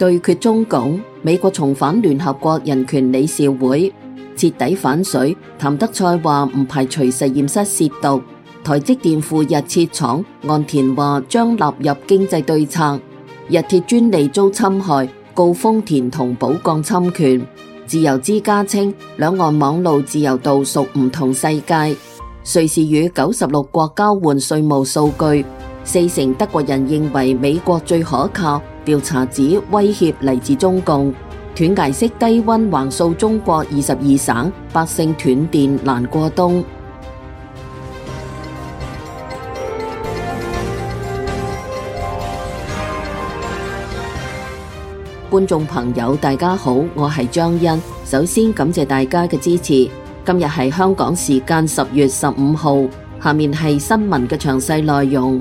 對決中共，美國重返聯合國人權理事會，徹底反水。譚德塞話唔排除實驗室褻瀆。台積電赴日設廠，岸田話將納入經濟對策。日鐵專利遭侵害，告豐田同寶鋼侵權。自由之家稱兩岸網路自由度屬唔同世界。瑞士與96國交換稅務數據，40%德國人認為美國最可靠。調查指威脅嚟自中共。斷崖式低溫橫掃中國22省，百姓斷電難過冬。觀眾朋友大家好，我係張欣。首先感謝大家嘅支持。今日係香港時間10月15號，下面係新聞嘅詳細內容。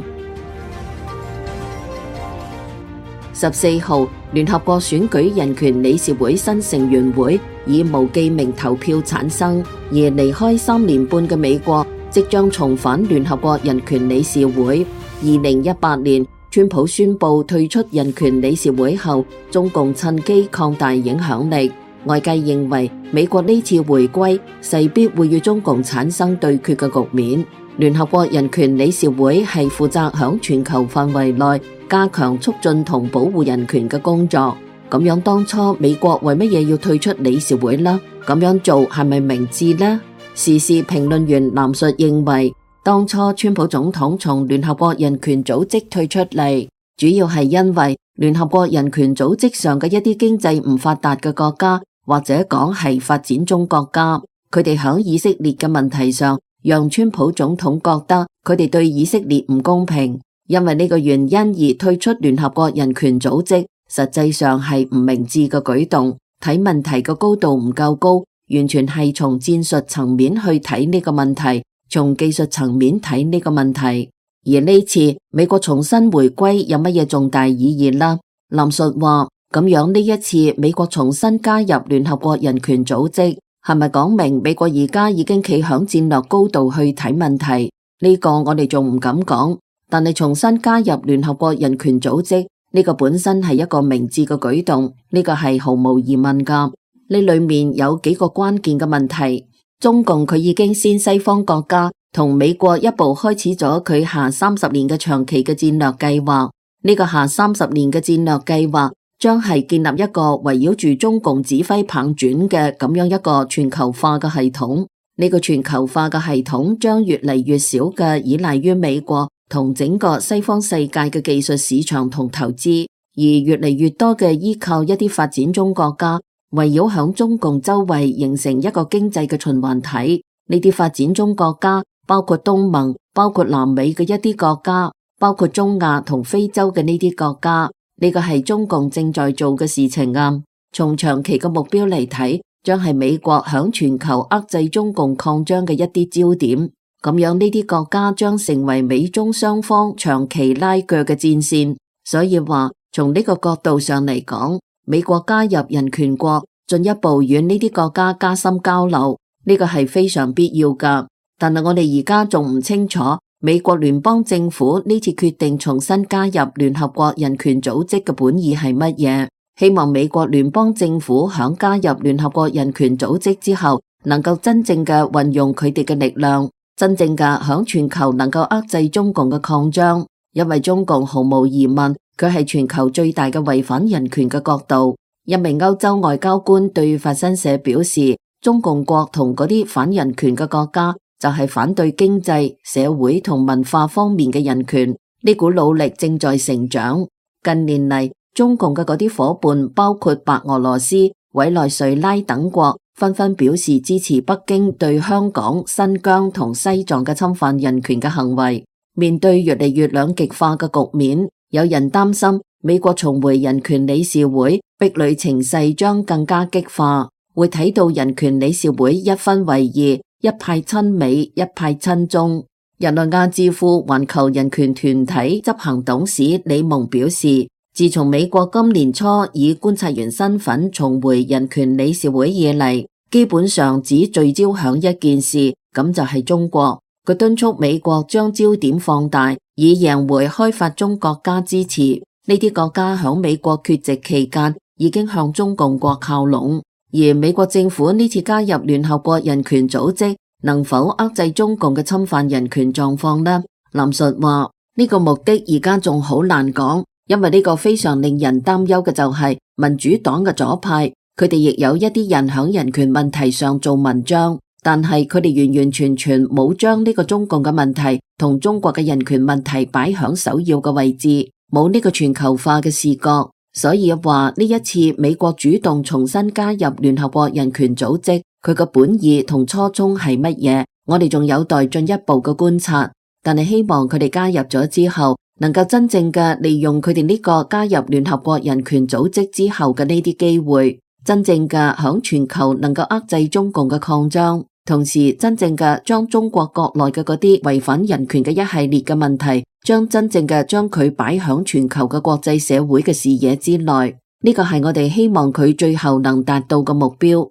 14號，聯合國選舉人權理事會新成員會以無記名投票產生，而離開3年半嘅美國即將重返聯合國人權理事會。2018年，川普宣布退出人權理事會後，中共趁機擴大影響力。外界認為美國呢次回歸勢必會與中共產生對決嘅局面。聯合國人權理事會係負責響全球範圍內加強促進同保護人權嘅工作。咁樣當初美國為乜嘢要退出理事會呢？咁樣做係咪明智呢？時事評論員藍述認為，當初川普總統從聯合國人權組織退出嚟，主要係因為聯合國人權組織上嘅一啲經濟唔發達嘅國家，或者講係發展中國家，佢哋響以色列嘅問題上，讓川普總統覺得佢哋對以色列唔公平，因為呢個原因而退出聯合國人權組織，實際上係唔明智嘅舉動。睇問題嘅高度唔夠高，完全係從戰術層面去睇呢個問題，從技術層面睇呢個問題。而呢次美國重新回歸有乜嘢重大意義呢？藍述話，咁樣呢一次美國重新加入聯合國人權組織，係咪講明美國而家已經企響戰略高度去睇問題？呢個我哋仲唔敢講，但係重新加入聯合國人權組織，呢個本身係一個明智嘅舉動，呢個係毫無疑問噶。呢裏面有幾個關鍵嘅問題。中共佢已經先西方國家同美國一步開始咗佢下30年嘅長期嘅戰略計劃。呢個下30年嘅戰略計劃將係建立一個圍繞住中共指揮棒轉嘅咁樣一個全球化嘅系統。呢個全球化嘅系統將越嚟越少嘅依賴於美國同整個西方世界嘅技術市場同投資，而越嚟越多嘅依靠一啲發展中國家，圍繞響中共周圍形成一個經濟嘅循環體。呢啲發展中國家包括東盟，包括南美嘅一啲國家，包括中亞同非洲嘅呢啲國家。呢個係中共正在做嘅事情啊！從長期嘅目標嚟睇，將係美國響全球遏制中共擴張嘅一啲焦點。咁樣呢啲國家將成為美中雙方長期拉鋸嘅戰線。所以話，從呢個角度上嚟講，美國加入人權國，進一步與呢啲國家加深交流，呢個係非常必要噶。但係我哋而家仲唔清楚。美國聯邦政府呢次決定重新加入聯合國人權組織嘅本意係乜嘢？希望美國聯邦政府響加入聯合國人權組織之後，能夠真正嘅運用佢哋嘅力量，真正嘅響全球能夠遏制中共嘅擴張。因為中共毫無疑問，佢係全球最大嘅違反人權嘅國度。一名歐洲外交官對法新社表示，中共國同嗰啲反人權嘅國家，就係反對經濟、社會同文化方面嘅人權，呢股努力正在成長。近年嚟，中共嘅嗰啲夥伴，包括白俄羅斯、委內瑞拉等國，紛紛表示支持北京對香港、新疆同西藏嘅侵犯人權嘅行為。面對越嚟越兩極化嘅局面，有人擔心美國重回人權理事會，壁壘情勢將更加激化，會睇到人權理事會一分為二。一派親美，一派親中。日內瓦智庫環球人權團體執行董事李蒙表示，自從美國今年初以觀察員身份重回人權理事會以嚟，基本上只聚焦響一件事，咁就係中國。佢敦促美國將焦點放大，以贏回開發中國家支持。呢啲國家響美國缺席期間已經向中共國靠攏，而美國政府呢次加入聯合國人權組織，能否遏制中共嘅侵犯人權狀況呢？林述話呢個目的而家仲好難講，因為呢個非常令人擔憂嘅就係民主黨嘅左派，佢哋亦有一啲人響人權問題上做文章，但係佢哋完完全全冇將呢個中共嘅問題同中國嘅人權問題擺響首要嘅位置，冇呢個全球化嘅視覺。所以話呢一次美國主動重新加入聯合國人權組織，佢嘅本意同初衷係乜嘢？我哋仲有待進一步嘅觀察，但係希望佢哋加入咗之後，能夠真正嘅利用佢哋呢個加入聯合國人權組織之後嘅呢啲機會，真正嘅響全球能夠遏制中共嘅擴張，同時真正嘅將中國國內嘅嗰啲違反人權嘅一系列嘅問題，將真正嘅將佢擺響全球嘅國際社會嘅視野之內，呢個係我哋希望佢最後能達到嘅目標。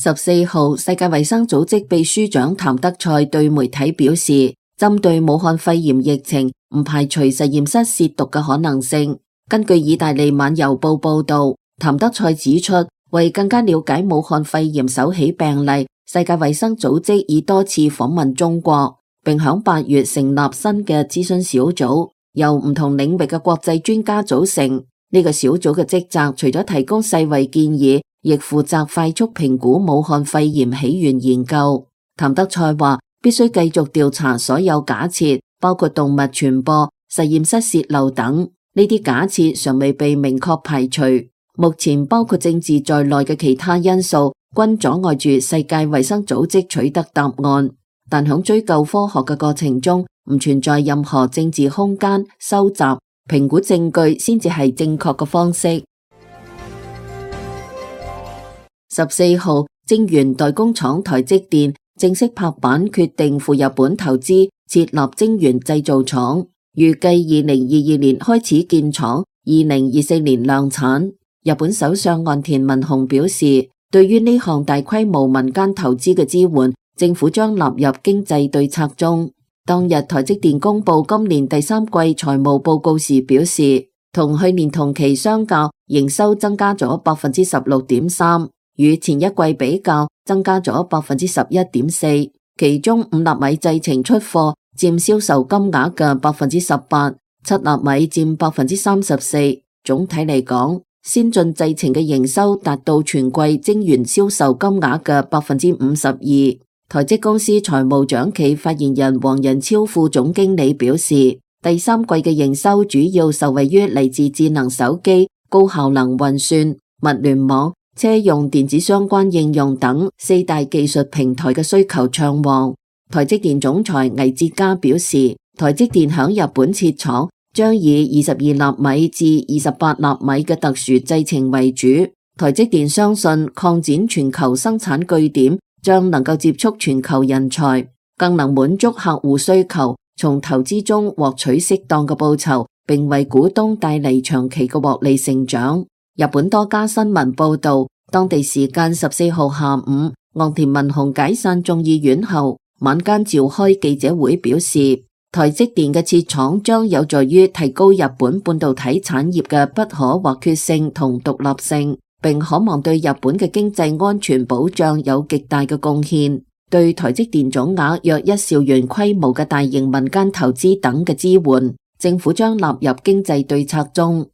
14號，世界衛生組織秘書長譚德塞對媒體表示，針對武漢肺炎疫情，唔排除實驗室褻瀆嘅可能性。根據意大利晚郵報報道，譚德塞指出，為更加了解武漢肺炎首起病例，世界衛生組織已多次訪問中國，並響8月成立新嘅諮詢小組，由唔同領域嘅國際專家組成。呢個小組嘅職責除咗提供世衛建議，亦負責快速評估武漢肺炎起源研究。譚德塞話，必須繼續調查所有假設，包括動物傳播、實驗室洩漏等。呢啲假設尚未被明確排除。目前包括政治在內嘅其他因素，均阻礙住世界衛生組織取得答案。但響追究科學嘅過程中，唔存在任何政治空間，收集、評估證據先至係正確嘅方式。14號，晶圓代工廠台積電正式拍板決定赴日本投資設立晶圓製造廠，預計2022年開始建廠，2024年量產。日本首相岸田文雄表示，對於呢項大規模民間投資嘅支援，政府將納入經濟對策中。當日台積電公布今年第3季財務報告時表示，同去年同期相較，營收增加咗 16.3%， 與前一季比較增加咗 11.4%， 其中5納米製程出貨佔銷售金額嘅 18%， 7納米佔 34%。總體嚟講，先進製程嘅營收達到全季晶圓銷售金額嘅 52%。台積公司財務長暨發言人黃仁超副總經理表示，第3季嘅營收主要受惠於嚟自智能手機、高效能運算、物聯網、車用電子相關應用等4大技術平台嘅需求暢旺。台積電總裁魏哲嘉表示，台積電響日本設廠將以22納米至28納米嘅特殊製程為主。台積電相信擴展全球生產據點將能夠接觸全球人才，更能滿足客戶需求，從投資中獲取適當嘅報酬，並為股東帶嚟長期嘅獲利成長。日本多家新聞報道，當地時間14號下午，岸田文雄解散眾議院後，晚間召開記者會表示，台積電嘅設廠將有助於提高日本半導體產業嘅不可或缺性同獨立性，並可望對日本嘅經濟安全保障有極大嘅貢獻。對台積電總額約1兆元規模嘅大型民間投資等嘅支援，政府將納入經濟對策中。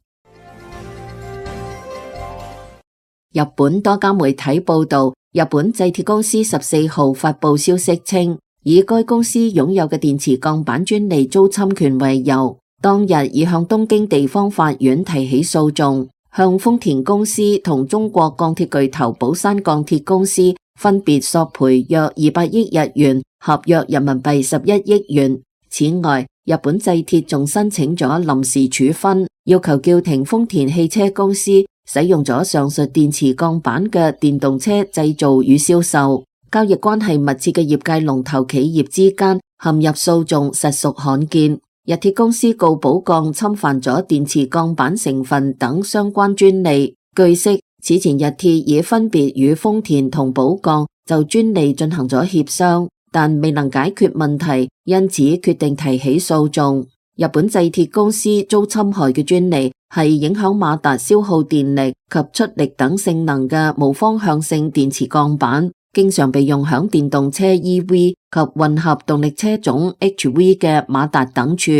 日本多家媒體報道，日本製鐵公司14號發佈消息稱，以該公司擁有嘅電池鋼板專利遭侵權為由，當日已向東京地方法院提起訴訟，向豐田公司同中國鋼鐵巨頭寶山鋼鐵公司分別索賠約200億日元，合約人民幣11億元。此外，日本製鐵仲申請咗臨時處分，要求叫停豐田汽車公司使用咗上述電池鋼板嘅電動車製造與銷售。交易關係密切嘅業界龍頭企業之間陷入訴訟實屬罕見。日鐵公司告寶鋼侵犯咗電池鋼板成分等相關專利。據悉，此前日鐵已分別與豐田同寶鋼就專利進行咗協商，但未能解決問題，因此決定提起訴訟。日本製鐵公司遭侵害嘅專利係影響馬達消耗電力及出力等性能嘅無方向性電池鋼板，經常被用響電動車 EV 及混合動力車種 HV 嘅馬達等處。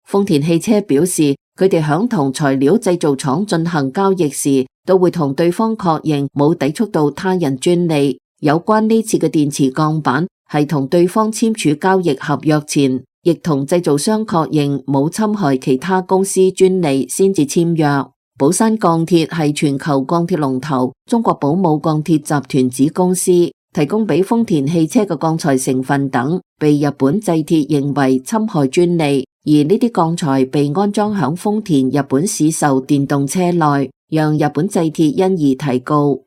豐田汽車表示，佢哋響同材料製造廠進行交易時，都會同對方確認冇抵觸到他人專利。有關呢次嘅電池鋼板係同對方簽署交易合約前，亦同製造商確認冇侵害其他公司專利先至簽約。寶山鋼鐵係全球鋼鐵龍頭中國寶武鋼鐵集團子公司，提供俾豐田汽車嘅鋼材成分等被日本製鐵認為侵害專利，而呢啲鋼材被安裝響豐田日本市售電動車內，讓日本製鐵因而提告。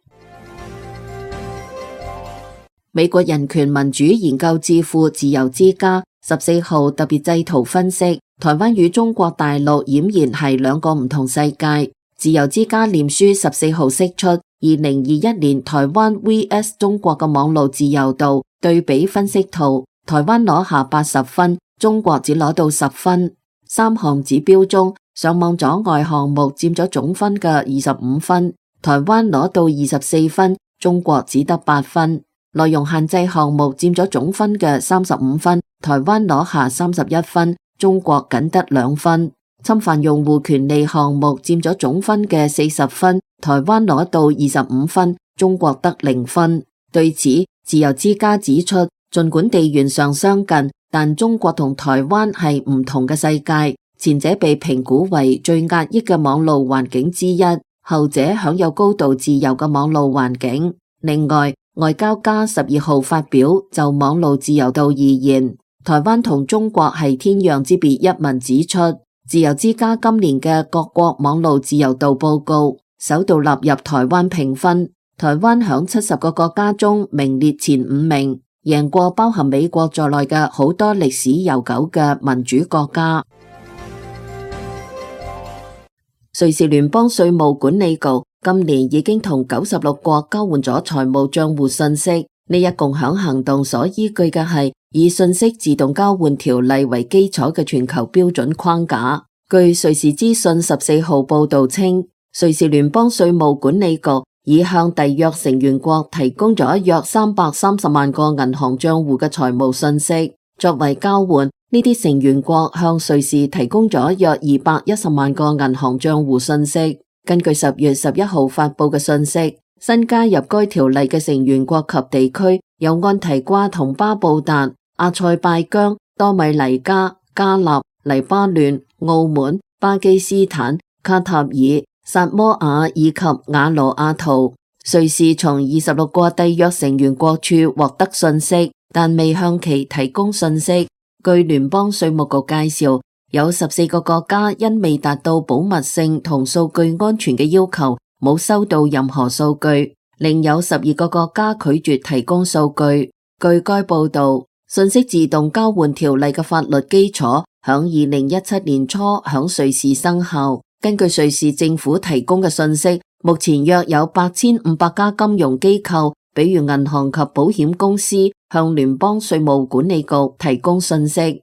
美國人權民主研究智庫自由之家14號特別製圖分析，台灣與中國大陸儼然係兩個唔同世界。自由之家臉書14號釋出2021年台灣 vs 中國嘅網絡自由度對比分析圖，台灣攞下80分，中國只攞到10分。3項指標中，上網阻礙項目佔咗總分嘅25分，台灣攞到24分，中國只得8分。內容限制項目佔咗總分嘅35分，台灣攞下31分，中國僅得2分。侵犯用戶權利項目佔咗總分嘅40分，台灣攞到25分，中國得0分。對此，自由之家指出，儘管地緣上相近，但中國同台灣係唔同嘅世界，前者被評估為最壓抑嘅網路環境之一，後者享有高度自由嘅網路環境。另外，外交家12號發表就網路自由度而言，台灣同中國係天壤之別一文指出，自由之家今年嘅各國網路自由度報告首度納入台灣評分，台灣響70個國家中名列前5名，贏過包含美國在內嘅好多歷史悠久嘅民主國家。瑞士聯邦稅務管理局今年已經同96國交換咗財務賬戶信息，呢一共享行動所依據嘅係以信息自動交換條例為基礎嘅全球標準框架。據瑞士資訊14號報道稱，瑞士聯邦稅務管理局已向締約成員國提供咗約330萬個銀行賬戶嘅財務信息，作為交換，呢啲成員國向瑞士提供咗約210萬個銀行賬戶信息。根據10月11號發佈嘅信息，新加入該條例嘅成員國及地區有安提瓜同巴布達、阿塞拜疆、多米尼加、加納、黎巴嫩、澳門、巴基斯坦、卡塔爾、薩摩亞以及瓦努阿圖。瑞士從26個締約成員國處獲得信息，但未向其提供信息。據聯邦稅務局介紹，有14個國家因未達到保密性同數據安全嘅要求，冇收到任何數據，另有12個國家拒絕提供數據。據該報道，信息自動交換條例嘅法律基礎響2017年初響瑞士生效。根據瑞士政府提供嘅信息，目前約有8500家金融機構，比如銀行及保險公司，向聯邦稅務管理局提供信息。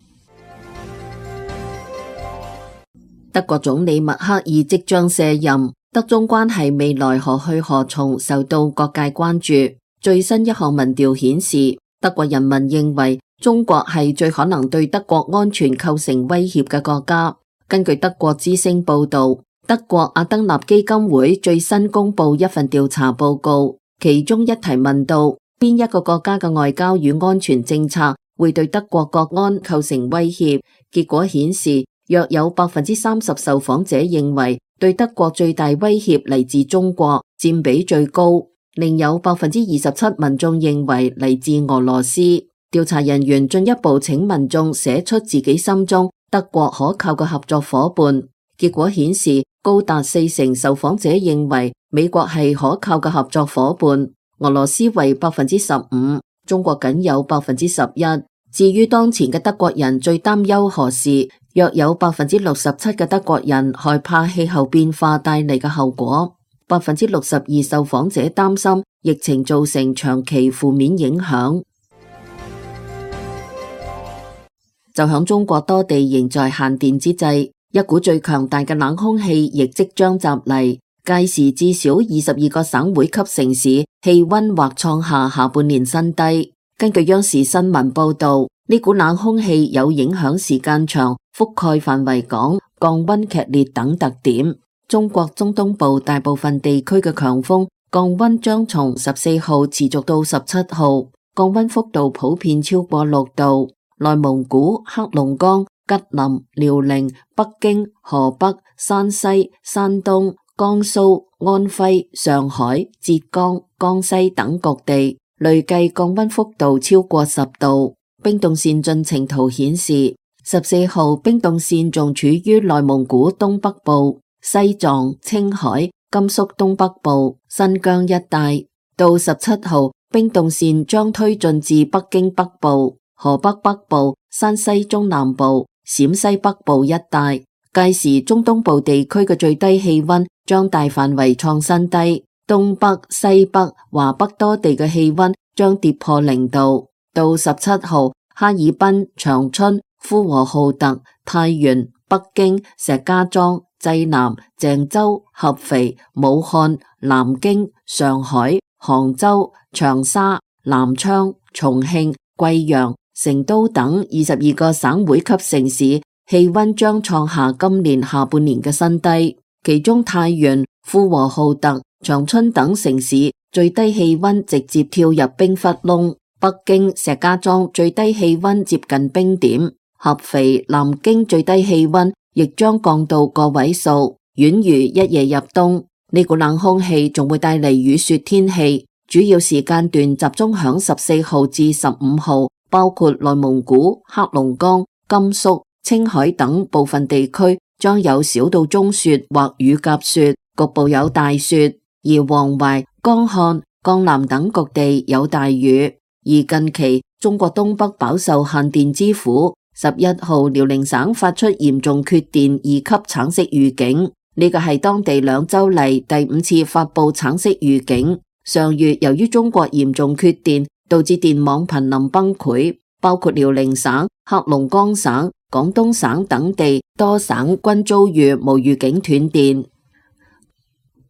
德國總理默克爾即將卸任，德中關係未來何去何從受到各界關注。最新一項民調顯示，德國人民認為中國係最可能對德國安全構成威脅嘅國家。根據德國之聲報道，德國阿登納基金會最新公布一份調查報告，其中一題問到邊一個國家嘅外交與安全政策會對德國國安構成威脅，結果顯示約有30%受訪者認為對德國最大威脅嚟自中國，佔比最高，另有27%民眾認為嚟自俄羅斯。調查人員進一步請民眾寫出自己心中德國可靠嘅合作夥伴，結果顯示高達40%受訪者認為美國係可靠嘅合作夥伴，俄羅斯為15%，中國僅有11%。至於當前嘅德國人最擔憂何事，約有67%嘅德國人害怕氣候變化帶嚟嘅後果，62%受訪者擔心疫情造成長期負面影響。就響中國多地仍在限電之際，一股最強大嘅冷空氣亦即將襲嚟，屆時至少22個省會級城市氣溫或創下下半年新低。根據央視新聞報道，呢股冷空氣有影響時間長、覆蓋範圍廣、降溫劇烈等特點。中國中東部大部分地區嘅強風降溫將從14號持續到17號，降溫幅度普遍超過6度。內蒙古、黑龍江、吉林、遼寧、北京、河北、山西、山東、江蘇、安徽、上海、浙江、江西等各地累計降溫幅度超過10度。冰凍線進程圖顯示，14號冰凍線仲處於內蒙古東北部、西藏、青海、甘肅東北部、新疆一帶。到17號，冰凍線將推進至北京北部、河北北部、山西中南部、陝西北部一帶。屆時中東部地區嘅最低氣溫將大範圍創新低，東北、西北、華北多地嘅氣溫將跌破0度。到17號，哈爾濱、長春、呼和浩特、太原、北京、石家莊、濟南、鄭州、合肥、武漢、南京、上海、杭州、長沙、南昌、重慶、貴陽、成都等22個省會級城市氣溫將創下今年下半年嘅新低，其中太原、呼和浩特、長春等城市最低氣溫直接跳入冰窟窿，北京、石家莊最低氣溫接近冰點，合肥、南京最低氣溫亦將降到個位數，宛如一夜入冬。呢股冷空氣仲會帶嚟雨雪天氣，主要時間段集中響14號至15號，包括內蒙古、黑龍江、甘肅、青海等部分地區將有小到中雪或雨夾雪，局部有大雪；而黃淮、江漢、江南等各地有大雨。而近期中國東北飽受限電之苦，11號遼寧省發出嚴重缺電2級橙色預警，呢個係當地2週嚟第5次發布橙色預警。上月由於中國嚴重缺電，導致電網瀕臨崩潰，包括遼寧省、黑龍江省、廣東省等地多省均遭遇無預警斷電。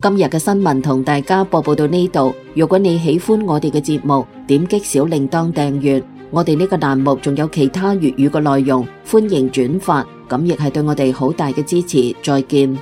今日嘅新聞同大家播報到呢度，如果你喜歡我哋嘅節目，點擊小鈴鐺訂閱，我哋呢個欄目仲有其他粵語嘅內容，歡迎轉發，咁亦係對我哋好大嘅支持。再見。